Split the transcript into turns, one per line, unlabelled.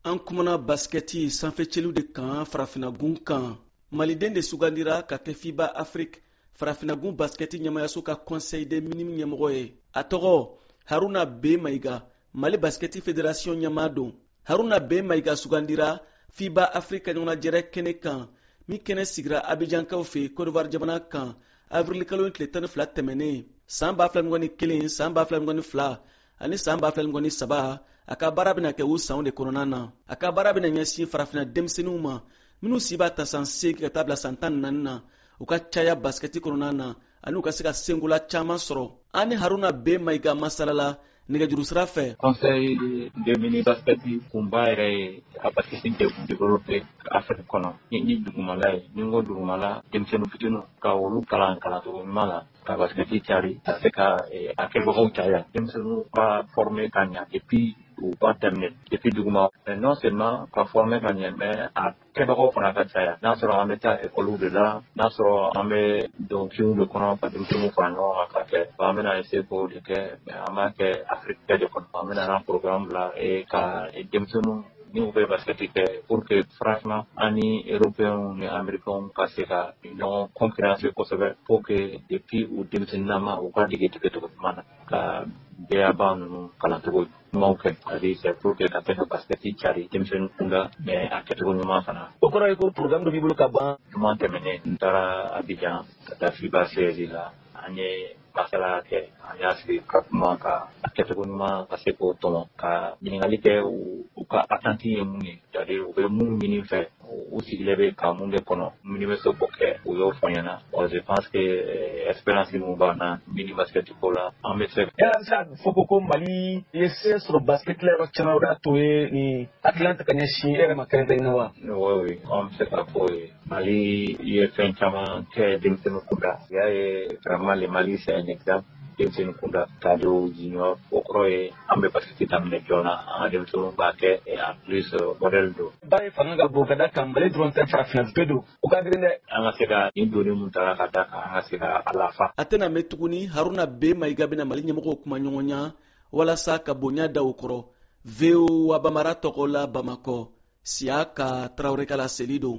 An kumana basikɛti sanfɛcɛliw de kan farafinagun kan. Maliden de sugandira ka kɛ FIBA Afrique, farafinagun basikɛti ɲɛmayaso ka conseil des minimes ɲɛmɔgɔ ye. A tɔgɔ Haruna B Mayiga, Mali basikɛti federasiɔn ɲɛmaa don. Haruna B Mayiga sugandira FIBA Afrique ka ɲɔgɔnnajɛrɛ kɛnɛ kan min kɛnɛ sigira abijankaw fɛ Cote d'Ivoire jamana kan awirilikalo in tile 12 tɛmɛnen san 2021, san 2022 ani san 2023. A ka baara bɛna kɛ o sanw de kɔnɔna na. A ka baara bɛna ɲɛsin farafinna denmisɛnninw ma minnu si b'a ta san 8 ka taa bila san 14 na, u ka caya basikɛti kɔnɔna na ani u ka se ka senkola caman sɔrɔ. An ni Haruna B Mayiga masalala nɛgɛjuru sira fɛ.
Conseil de mini basket kunba yɛrɛ ye ka basket développer Afrique kɔnɔ ni dugumala ye. Ni n ko dugumala, denmisɛnnin fitininw, ka olu kalan kalancogo ɲuman na, ka basket cari, ka se ka a kɛbagaw caya, denmisɛnninw ka former ka ɲa depuis u b'a daminɛ depuis duguma. Mais non seulement ka former ka ɲɛ, mais a kɛbagaw fana ka caya. N'a sɔrɔ an bɛ taa ekɔliw de la, n'a sɔrɔ an bɛ don kinw de kɔnɔ ka denmisɛnninw fara ɲɔgɔn kan ka kɛ, an bɛna essayer k'o de kɛ. Mais an b'a kɛ Afrique bɛɛ de kɔnɔ. An bɛna an programme bila ka denmisɛnninw n'u bɛ basket kɛ pour que franchement an ni Européens ni Américains ka se ka ɲɔgɔn concurrencer kosɛbɛ, pour que depuis u denmisɛnninnama u ka dege dege ɲuman na, ka B.A.-BA ninnu kalancogo ɲumanw kɛ. C'est-à-dire, c'est pour que ka se ka basket cari denmisɛnnin kunda, mais a kɛcogo ɲuman fana.
O kɔrɔ ye ko programme dɔ b'i bolo ka ban.
Juma tɛmɛnen, n taara Abidjan ka taa FIBA siège la. An ye masala kɛ, an y'a sigi ka kuma ka a kɛcogo ɲuman ka se k'o tɔmɔ, ka ɲininkali kɛ u ka attente ye mun ye, c'est-à-dire u bɛ mun ɲini fɛ, u sigilen bɛ ka mun de kɔnɔ, minnu bɛ se k'o kɛ. U y'o fɔ n ɲɛna. Bon, je pense que expérience mun b'an na mini basket ko la, an bɛ se.
Yala an bɛ se k'a fɔ ko Mali ye se sɔrɔ basket la yɔrɔ caman, o de y'a to ye nin hakilina ta ka ɲɛsin e yɛrɛ ma kɛrɛnkɛrɛnnenya wa?
Oui, an bɛ se k'a fɔ ye Mali ye fɛn caman kɛ denmisɛnnin kunda. I y'a ye, vraiment le Mali, c'est un exemple denmisɛnnin kunda, cadre, junior. O kɔrɔ ye an bɛ basket daminɛ joona, an ka denmisɛnninw b'a kɛ, et en plus modèle don.
Baara in fanga ka bon ka da kan Mali dɔrɔn tɛ, farafinna bɛɛ don. O ka girin dɛ.
An ka se ka nin doni mun taara ka da kan, an ka se ka a lafa.
A tɛna mɛn tuguni, Haruna B Mayiga bɛna Mali ɲɛmɔgɔw kuma ɲɔgɔnya walasa ka bonya da o kɔrɔ. VOA Bambara tɔgɔ la, Bamakɔ, Siyaka Tarawele ka laseli don.